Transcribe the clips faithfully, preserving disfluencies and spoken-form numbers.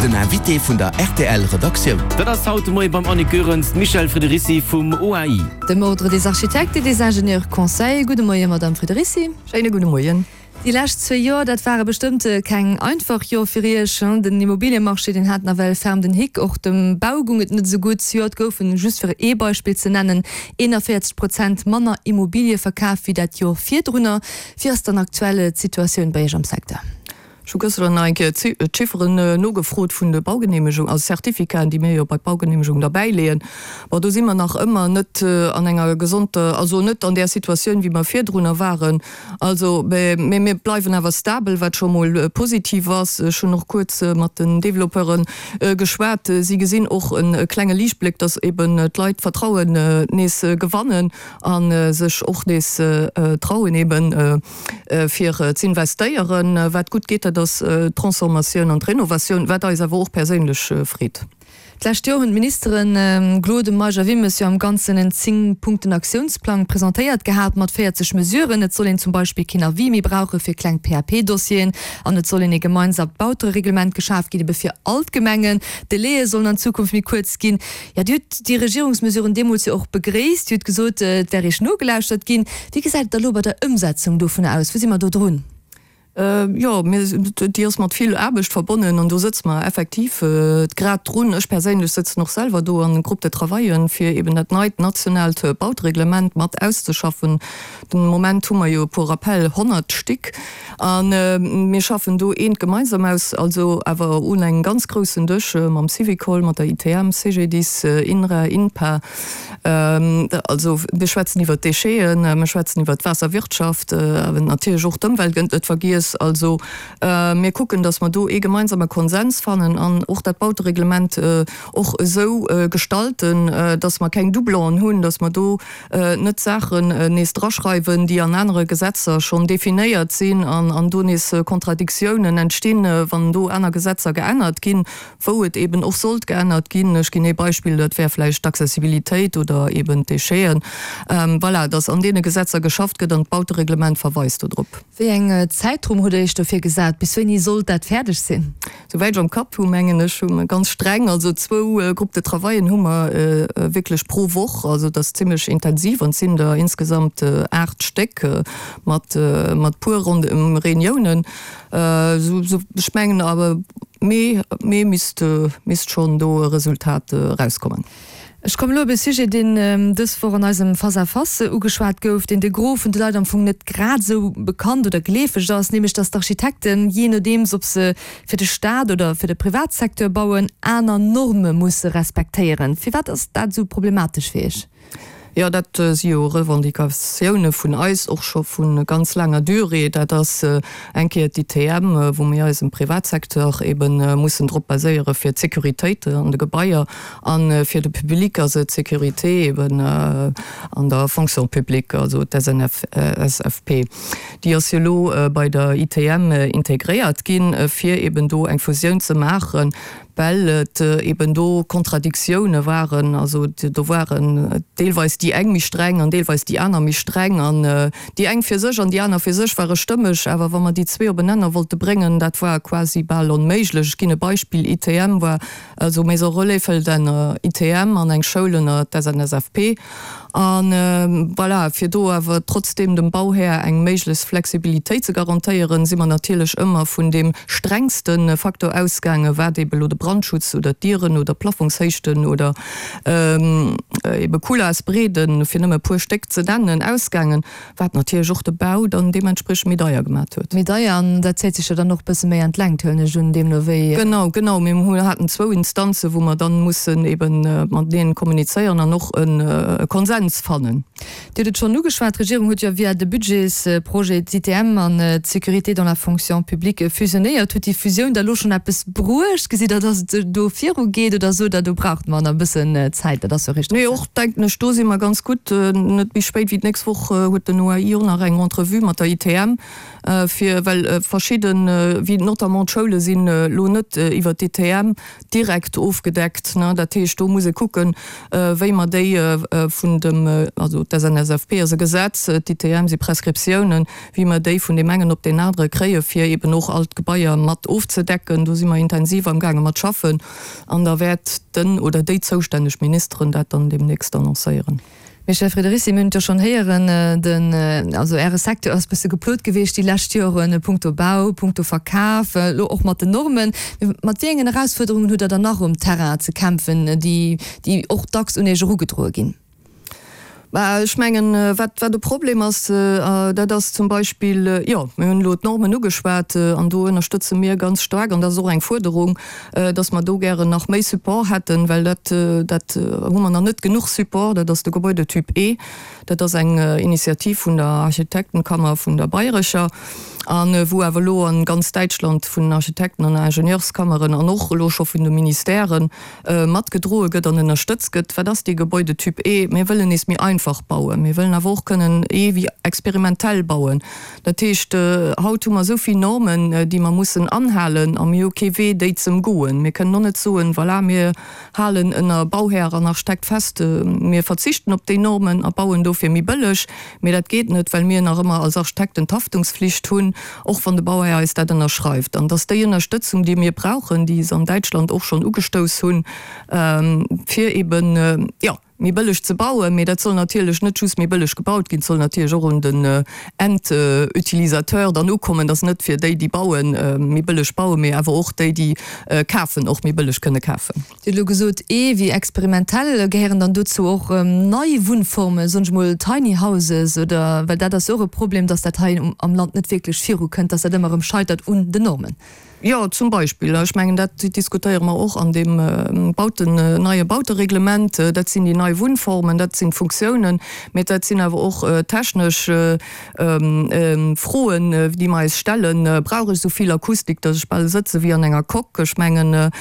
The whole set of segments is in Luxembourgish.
Den Invité vun der R T L Redaktioun. Dat ass haut de Moie beim Annick Goerens d'Michèle Friederici vum O A I. Dem Ordre des architectes et des ingénieurs conseils. Gudde Moien, Madame Friederici. Schéine gudde Moien. Déi lescht zwee Joer, dat ware bestëmmt keng einfach Joer fir Iech. Den Immobiliemarché, deen hat nawell ferm den Hick, och dem Bau goung et net esou gutt. Zejoert goufen, just fir ee Beispill ze nennen, eenanvéierzeg Prozent manner Immobilie verkaf wéi dat Joer virdrunner. Wéi ass dann aktuell d'Situatioun bei Iech am Secteur? Ech hu gëschter nach eng Kéier d'Chifferen nogefrot vun de Baugeneemegung, also Certificaten, déi mir jo bei d'Baugeneemegung derbäileeën. Bon, do si mer nach ëmmer net an enger gesonter, also net an där Situatioun, wéi mer virdrunner waren. Also, mä mir bleiwen awer stabel, wat scho mol positiv ass. Ech hunn och kuerz mat den Developpeure geschwat. Si gesinn och e klenge Liichtbléck, dass eben d'Leit d'Vertrauen nees gewannen a sech och nees trauen eben fir z'investéieren. Wat gutt geet, dat ass d'Transformatioun an d'Renovatioun, wat eis awer och perséinlech freet. D'lescht Joer hunn d'Ministeren Gloden, Meisch a Wilmes jo am Ganzen en zéng-Punkten-Aktiounsplang presentéiert gehat mat véierzeg Mesuren. Et soll een zum Beispill keen Avis méi brauche fir kleng P A P-Dossieren an et soll een ee gemeinsamt Bautereglement geschaf ginn, ebe fir all d'Gemengen. D'Délaië sollen an Zukunft méi kuerz ginn. Jo, Dir hutt déi Regierungsmesuren deemools jo och begréisst. Dir hutt gesot, et wär Iech nogelauschtert ginn. Wéi gesäit et da lo bei der Ëmsetzung dovunner aus? Wou si mer do drun? Jo, déi ass mat vill Aarbecht verbonnen an do sëtze mer effektiv grad drun. Ech perséinlech sëtzen och selwer do an Groupe de travaillen, fir eben dat neit nationaalt Bautereglement mat auszeschaffen. Den Moment hu mer jo pour rappel honnert Stéck a mir schaffen do eent gemeinsam aus, also awer un engem ganz groussen Dësch mam Syvicol, mat der I T M, C G D I S, INRA, INPA. Also mir schwätzen iwwer d'Décheten, mir schwätzen iwwer d'Waasserwirtschaft, awer natierlech och d'Ëmwelt gëtt net vergiess. Also mir kucken, datt mer do ee gemeinsame Konsens fannen an och dat Bautereglement och esou gestalten, datt mer keng Doublonen hunn, datt mer do net Saachen nees draschreiwen, déi an anere Gesetzer schonn definéiert sinn an an do nees Kontradiktiounen entstinn, wann do aner Gesetzer geännert ginn, wou et eben och sollt geännert ginn. Ech ginn ee Beispill, dat wär vläicht d'Accessibilitéit oder eben d'Décheten. Voilà, datt an deene Gesetzer geschafft gëtt an d'Bautereglement verweist do drop. Wéi eng Zäitrumm hutt Dir Iech dofir gesat? Bis wéini sollt dat fäerdeg sinn? Souwäit ech am Kapp hu mengen ech, hu mer ganz streng, also zwou Groupes de travaillen hu mer wierklech pro Woch, also dat ass zimlech intensiv an et sinn der insgesamt aacht Stéck mat mat puer Ronde Reuniounen. Ech mengen awer Mee, Mee misst misst schonn do e Resultat erauskommen. Ech kommen elo op e Sujet, deen dës Woch an eisem Face à Face ugeschwat gouf, deen de Gros vun de Leit am Fong net grad esou bekannt oder geleefeg ass, nämlech datt d'Architekten, jee nodeems ob se fir de Staat oder fir de Privatsecteur bauen, aner Norme musse respektéieren. Firwat ass dat esou problematesch fir Iech? Jo, dat si jo Revendicatioune vun eis och scho vu ganz laanger Durée. Dat ass eng Kéier d'I T M, wou mir eis am Privatsecteur ebe mussen drop baséiere fir d'Sécuritéit an de Gebaier, a fir de Public ass et d'Sécurité eben an der Fonction publique, also d'S N F S F P. Déi ass jo elo bei der I T M integréiert ginn, fir eben do eng Fusioun ze maachen, well et eben do Kontradiktioune waren, also do waren deelweis déi eng méi streng an deelweis déi aner méi streng an déi eng fir sech an déi aner fir sech ware stëmmeg, awer wa mer déi zwee op en Nenner wollte bréngen, dat war quasi bal onméiglech. Ech ginn e Beispill, I T M war, also Maison Relais fëllt ënner I T M an eng Schoul ënner d'S N S F P an voilà, fir do awer trotzdeem dem Bauhär eng méiglechst Flexibilitéit ze garantéieren, si mer natierlech ëmmer vun deem strengste Faktor ausgaangen, wat ebe lo de Brandschutz oder d'Dieren oder Plafongshéichten oder ebe Couloirsbreeden, fir nëmme e puer Stéck ze nennen, ausgaangen, wat natierlech och de Bau dann deementspriechend méi deier gemat huet. Méi deier, an dat zéit sech jo dann och e bësse méi an d'Längt, huelen ech un, deemno wéi. Genau, genau. Mir hu haten zwou Instanzen, wou mer dann mussen eben mateneen kommunizéieren an och e Konsens fannen. Dir hutt et schonn ugeschwat, d'Regierung huet jo via de Budgetsprojet d'I T M an d'Sécurité dans la fonction publique fusionéiert. Huet déi Fusioun da lo schonn eppes bruecht? Gesitt Der, datt et do virugeet oder sot Der, do braucht mer nach e bëssen Zäit, dat ass jo richteg? Nee, och denken ech, do si mer ganz gutt. Net méi spéit wéi d'nächst Woch huet den O A I och nach eng Entrevue mat der I T M, fir, well verschidden, wéi notamment d'Schoule sinn elo net iwwer d'I T M direkt ofgedeckt. Dat heescht, do muss ee kucken, wéi mer déi vun dem dem, also d'SNSFP ass e Gesetz, d'ITM si Prescriptiounen, wéi mer déi vun deem engen op deen anere kréie fir eben och all d'Gebaier mat ofzedecken. Do si mer intensiv amgaange mat schaffen an da wäert den oder déi zoustänneg Ministeren dat dann deemnächst annoncéieren. Michel Friederici, mir hunn et jo schonn héieren, den, also Äre Secteur ass e bësse geplot gewiescht déi lescht Joren, punkto Bau, punkto Verkaf, elo och mat den Normen. Mat wéi engen Erausfuerderungen hutt Der dann nach um Terrain ze kämpfen, déi, déi och dacks un Iech erugedroe ginn? Bah, ech mengen, wat, wat e Problem ass, dat ass zum Beispill, jo, mir hunn elo d'Normen ugeschwat, an do ënnerstëtze mir ganz staark, an dat ass och eng Fuerderung, dass mer do gären nach méi Support hätten, well dat, dat hu mer nach net genuch Support, dat ass de Gebäudetyp E. Dat ass eng Initiativ vun der Architektenkammer vun der Bayrescher, a wou awer elo a ganz Däitschland vun den Architekten an Ingenieurskammeren an och elo scho vun de Ministèren matgedroe gëtt an ënnerstëtzt gëtt. Wat ass dee Gebäudetyp E? Mir wëllen nees méi einfach bauen. Mir wëllen awer och kënnen E wéi experimentell bauen. Dat heescht, haut hu mer esou vill Normen, déi mer mussen anhalen, a mir hu kee Wee, déi z'ëmgoen. Mir kënnen och net soen, Voilà, mir halen ënner Bauhär an Architekt fest, mir verzichten op déi Normen a bauen dofir méi bëlleg. Mee dat geet net, well mir nach ëmmer als Architekten d'Haftungsflicht hunn, och wann de Bauhär eis dat ënnerschreift. An dass déi Ënnerstëtzung, déi mir brauchen, déi se an Däitschland och schonn ugestouss hunn, fir eben, jo, méi bëlleg ze bauen, mee dat soll natierlech net just méi bëlleg gebaut ginn, et soll natierlech och un den Endutilisateur dann ukommen, dass net fir déi, déi bauen, méi bëlleg bauen, mee awer och déi, déi kafen, och méi bëlleg kënne kafen. Dir hutt elo gesot, ee wéi experimentell. Gehéieren dann dozou och nei Wunnformen, soen ech mol Tiny Houses oder, well dat ass jo och e Problem, dass dat hei am Land net wierklech virukënnt, dass dat ëmmer erëm scheitert un den Normen. Jo, zum Beispill. Ech mengen, dat diskutéiere mer och an deem Bauten, neie Bautereglement. Dat sinn déi nei Wunnformen, dat sinn d'Funktiounen, mä dat sinn awer och technesch Froen, déi mer eis stellen. Brauch ech esou vill Akustik, datt ech bal sëtze wéi an enger Coque? Ech mengen,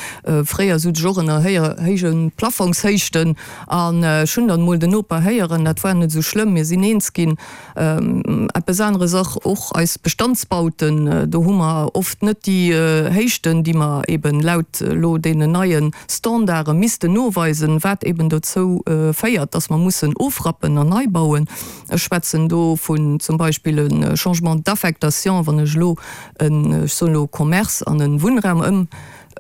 fréier sot ech och ënner héije Plafongshéichten an ech hunn dann emol den Noper héieren, dat war net esou schlëmm, mir sinn eens ginn. Eppes aneres och, och eis Bestandsbauten, do hu mer oft net déi Héichten, déi mer eben laut elo deenen neie Standarde missten noweisen, wat eben dozou féiert, dass mer mussen ofrappen an nei bauen. Ech schwätzen do vun zum Beispill e Changement d'affectation, wann ech elo en, ech soen elo, Commerce an e Wunnraum ëm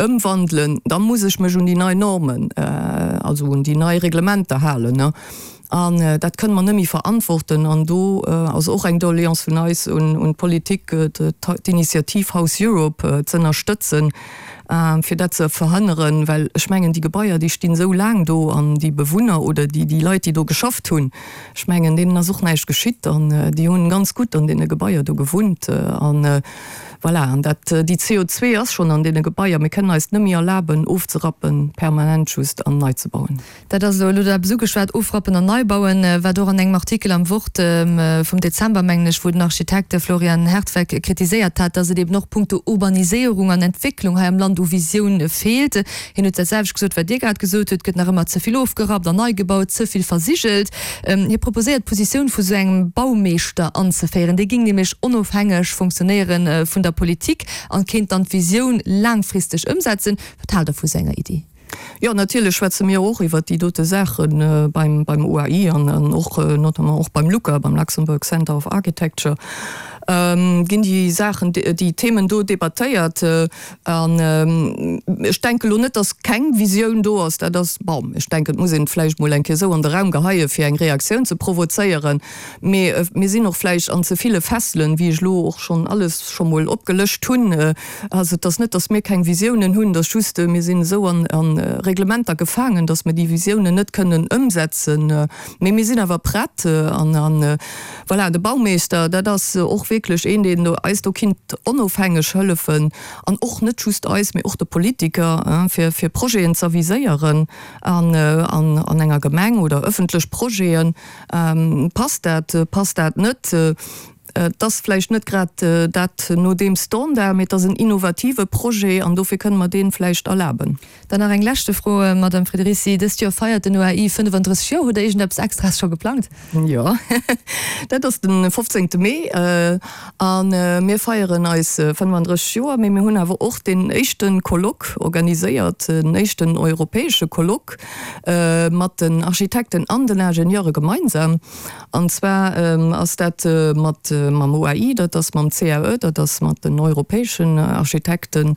ëmwandelen, da muss ech mech un déi nei Normen, also un déi nei Reglementer halen. An dat kënne mer net méi verantworten. An do ass och eng Doléance vun eis un d'Politik, d'Initiativ House Europe z'ënnerstëtzen, fir dat ze verhënneren. Well ech mengen, déi Gebaier, déi stinn esou laang do an déi Bewunner oder déi Leit, déi do geschafft hunn, ech mengen, deenen ass och näischt geschitt an déi hunn ganz gutt an deene Gebaier do gewunnt. An voilà, an dat, déi C O zwee ass schonn an deene Gebaier. Mir kënnen eis net méi erlaben, ofzerappen permanent just an nei ze bauen. Dat ass elo, elo hutt Der eppes ugeschwat, ofrappen an nei bauen, wat och an engem Artikel am Wort vum Dezember, mengen ech, wou den Architekt Florian Hertweck kritiséiert hat, dass et eben och punkto Urbaniséierung an Entwécklung hei am Land u Visioun feelt. Hien huet dat selwecht gesot, wat Dir grad gesot hutt, Et gëtt nach ëmmer ze vill ofgerappt an nei gebaut, ze vill versigelt. Hie proposéiert, d'Positioun vu sou engem Baumeeschter anzeféieren. Dee géing nämlech onofhängeg funktionéiere vun der Politik an kéint dann d'Visioun laangfristeg ëmsetzen. Wat haalt Der vu sou enger Iddi? Jo, natierlech schwätze mir och iwwert déi dote Saache beim beim U A I an och notamment och beim LUCA, beim Luxembourg Center of Architecture, ginn déi Saachen, déi Themen do debattéiert. An ech denke elo net, datt keng Visioun do ass. Dat ass, bon, ech denken, et muss een et vläicht mol eng Kéier esou an de Raum geheie fir eng Reaktioun ze provozéieren. Mee mir sinn och vläicht an ze ville Fesselen, wéi ech elo och schonn alles scho mol opgelëscht hunn. Also et ass net, datt mir keng Visiounen hunn, et ass just, mir sinn esou an Reglementer gefaangen, datt mir déi Visiounen net kënnen ëmsetzen. Mee mir sinn awer prett. An voilà, de Baumeeschter, dat ass och wierklech een, deen eis do kinnt onofhängeg hëllefen, an och net just eis, mee och de Politiker, fir fir Projeten z'aviséieren an an enger Gemeng oder ëffentlech Projeten. Passt dat, passt dat net? Et ass vläicht net grad dat no deem Standard, mee et ass en innovative Projet an dofir kënne mer dee vläicht erlaben. Dann nach eng leschte Fro, Madame Friederici, Dëst Joer feiert den O A I fënnefandrësseg Joer. Hutt Der iergendeppes Extraes scho geplangt? Jo, dat ass de fofzéngte Mee a mir feieren eis fënnefandrësseg Joer, mee mir hunn awer och deen éischte Colloque organiséiert, den éischten europäesche Colloque mat den Architekten an den Ingenieure gemeinsam. An zwar ass dat mat mam O A I, dat ass mam C A E, dat ass mat den europäeschen Architekten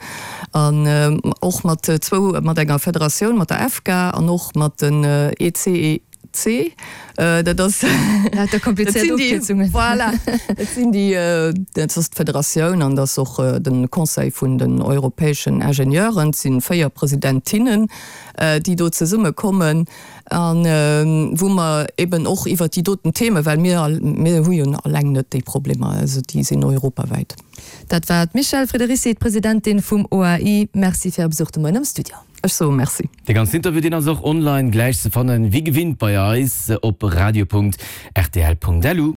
an och mat zwou, mat enger Federatioun, mat der E F C A an och mat den E C E C, dat ass, Lauter komplizéiert Ofkierzungen. Voilà, dat sinn déi, dat ass d'Federatioun an dat ass och de Conseil vun den europäeschen Ingenieuren. Et si véier Presidentinnen, déi do zesummekommen an wou mer eben och iwwert déi doten Themen, well mir, mir hu jo alleng net déi Problemer, also déi sinn europawäit. Dat war d'Michèle Friederici, d'Presidentin vum O A I. Merci fir Är Besuch de Moien am Studio. Ech soe Merci. De ganzen Interview, deen ass och online gläich ze fannen, wéi gewinnt bei eis op radio Punkt R T L Punkt L U.